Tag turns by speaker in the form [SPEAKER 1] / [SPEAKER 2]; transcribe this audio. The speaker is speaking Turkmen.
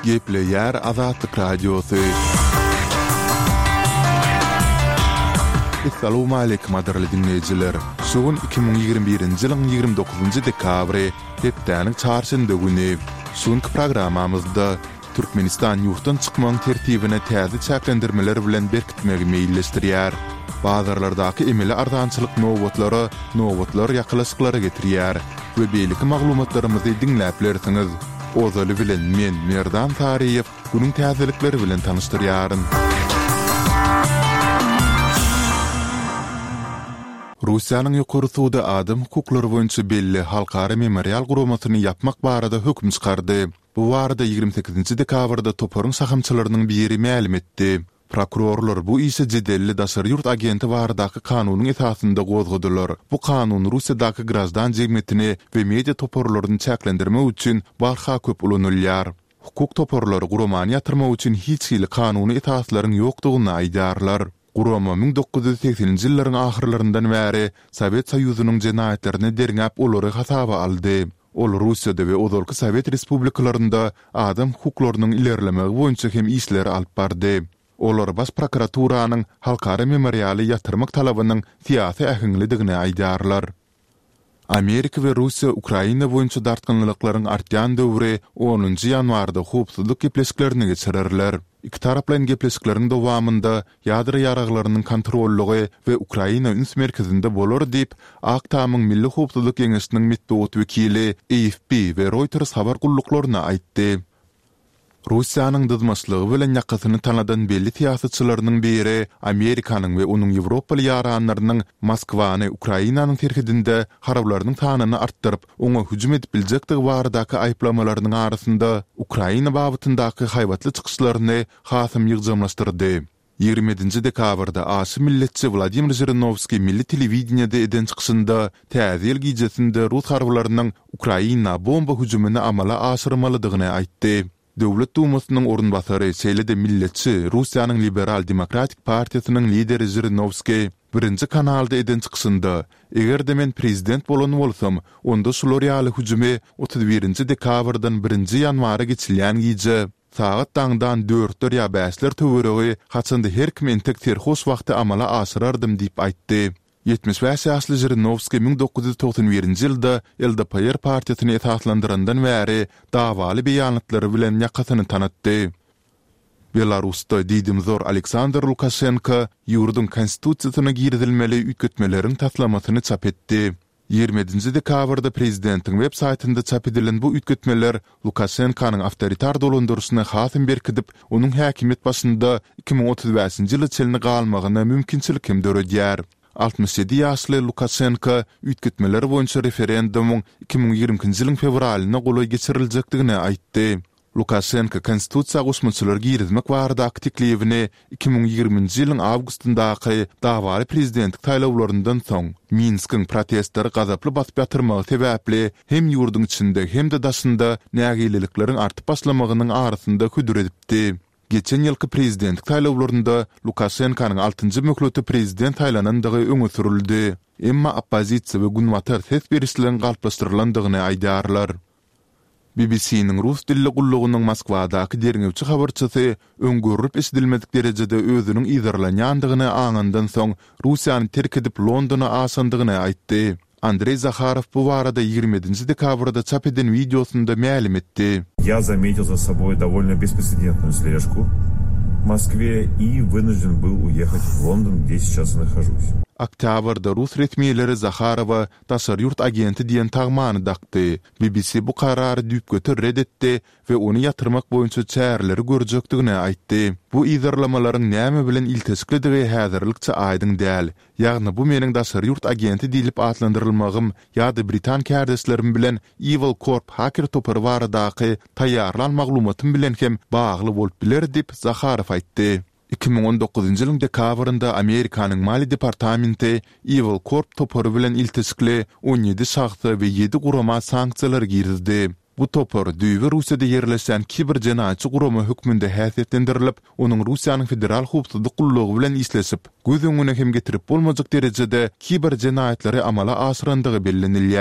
[SPEAKER 1] Gepleýär Azatlyk Radiosy. Essalawmaleýkim gadyrly diňleýjiler! Şu gün 2021-nji ýylyň 29-njy dekabry, hepdäniň çarşenbe güni. Şu günki programmamyzda Türkmenistan ýurtdan çykmagyň tertibine täze çäklendirmeler bilen berkitmegi meýilleşdirýär. Bazarlardaky emeli arzançylyk nobatlara nobatlar ýakalaşyklara getirýär we beýleki maglumatlarymyzy diňläp bilersiňiz. Ozaly bilen men, Merdan Saryýew, günüň täzelikleri bilen tanyşdyrýaryn. Russiýanyň Ýokary sudy adam hukuklary boýunça belli Halkara Memorial guramasyny ýapmak barada höküm çykardy. Bu barada 28 dekabrda toparyň şahamçalarynyň biri mälim etdi. Prokurorlar bu işi jedelli daşary ýurt agenti baradaky kanunyň esasynda gozgadylar. Bu kanun Russiýadaky graždan jemgyýetini we media toparlaryny çäklendirmek üçin barha köp ulanylýar. Hukuk toparlary guramany ýatyrmak üçin hiç hili kanuny esaslaryň ýokdugyny aýdýarlar. Gurama 1980-nji ýyllaryň ahyrlaryndan bäri Sowet Soýuzynyň jenaýatlaryny derňäp olary hasaba aldy. Ol Russiýada we ozalky sowet respublikalarynda adam hukuklarynyň ilerlemegi boýunça hem işleri alyp bardy. Olar Baş prokuraturanyň Halkara memorialy ýatyrmak talabynyň syýasy äheňlidigini aýdýarlar. Amerika we Russiýa Ukraina boýunça dartgynlylyklaryň artýan döwri onunjy ýanwarda howpsuzlyk gepleşiklerini geçirerler. Ikitaraplaýyn gepleşikleriň dowamynda ýadro ýaraglarynyň kontrollygy we Ukraina üns merkezinde bolar diýip, Ak Tamyň Milli howpsuzlyk geňeşiniň metbugat wekili AFP we Reuters habar gulluklaryna aýtdy. Russiýanyň dyzmaçlygy bilen ýakasyny tanadan belli syýasatçylarynyň biri Amerikanyň we onuň ýewropaly ýaranlarynyň Moskwany Ukrainanyň serhedinde harbylarynyň sanyny artdyryp, oňa hüjüm edip biljekdigi baradaky aýyplamalarynyň arasynda Ukraina babatyndaky haýbatly çykyşlaryny hasam ýygjamlaşdyrdy. 27 dekabrda aşa milletçi Wladimir Žirinowskiý milli telewideniýede eden çykyşynda Täze ýyl gijesinde rus harbylarynyň Ukraina bomba hüjümini amala aşyrmalydygyny aýtdy. Döwlet Dumasynyň orunbasary, şeýle-de milletçi Russiýanyň Liberal-demokratik partiýasynyň lideri Žirinowskiý Birinji kanalda eden çykyşynda, Eger-de men prezident bolan bolsam, onda şular ýaly hüjümi 31 dekabrdan birinji ýanwara geçilýän gije, Sagat daňdan dörtler ýa bäşler töweregi, haçanda her kim entek serhoş wagty amala aşyrardym diýip aýtdy. 75 ýaşly Žirinowskiý 1991-nji ýylda LDPR partiýasyny esaslandyrandan bäri dawaly beýanatlary bilen ýakasyny tanatdy. Belarusda diýdimzor Aleksandr Lukaşenko ýurduň Konstitusiýasyna girizilmeli üýtgetmeleriň taslamasyny çap etdi. 27 dekabrda prezidentiň web saýtynda çap edilen bu üýtgetmeler Lukaşenkonyň awtoritar dolandyryşyny hasam berkidip, onuň häkimiýet başynda 2035-nji ýyla çenli galmagyna mümkinçilik hem döredýär. 67 ýaşly Lukaşenko üýtgetmeler boýunça referendumyň 2022-nji ýylyň fewralyna golaý geçiriljekdigini aýtdy. Lukaşenko konstitusiýa goşmaçalar girizmek baradaky teklibini 2020-nji ýylyň awgustyndaky dawaly prezidentlik saýlawlaryndan soň, Minskiň protestleri gazaply basyp ýatyrmagy sebäpli hem ýurduň içinde hem-de daşynda nägilelikleriň artyp başlamagynyň arasynda hödür edipdi. Geçen ýylky prezidentlik saýlawlarynda Lukaşenkonyň altynjy möhlete prezident saýlanandygy öňe sürüldi. Emma oppozisiýa we Günbatar ses berişligiň galplaşdyrylandygyny aýdýarlar. BBC-niň rus dilli gullugynyň Moskwadaky derňewçi habarçysy öň görlüp-eşidilmedik derejede özüniň yzarlanýandygyny aňandan soň Russiýany terk edip Londona aşandygyny aýtdy. Andreý Zaharow bu barada 27-nji dekabrda çap eden wideosynda mälim etdi.
[SPEAKER 2] Ýa zametil za soboý dowolno besprecedentnuyu sležku w Moskwe i wynujden byl uýehat w London, gde seýças i nahožus.
[SPEAKER 1] Oktýabrda rus resmileri Zaharowa daşary ýurt agenti diýen tagmany dakdy. BBC bu karary düýpgöter ret etdi we ony ýatyrmak boýunça çäreleri görjekdigini aýtdy. Bu yzarlamalaryň näme bilen ilteşiklidigi häzirlikçe aýdyň däl. Ýagny bu meniň daşary ýurt agenti diýlip atlandyrylmagym ýa-da britan kärdeşlerim bilen Evil Corp haker topary baradaky taýýarlan maglumatym bilen hem bagly bolup biler diýip, Zaharow aýtdy. 2019-njy ýylyň dekabrynda Amerikanyň Maliýe departamenti Evil Corp topary bilen ilteşikli 17 şahsa we ýedi gurama sanksiýalar girizdi. Bu topar düýbi Russiýada ýerleşýän kiber jenaýatçy gurama hökmünde häsiýetlendirilip, onuň Russiýanyň Federal howpsuzlyk gullugy bilen işleşip, göz öňüne hem getirip bolmajak derejede kiber jenaýatlary amala aşyrandygy bellenilýär.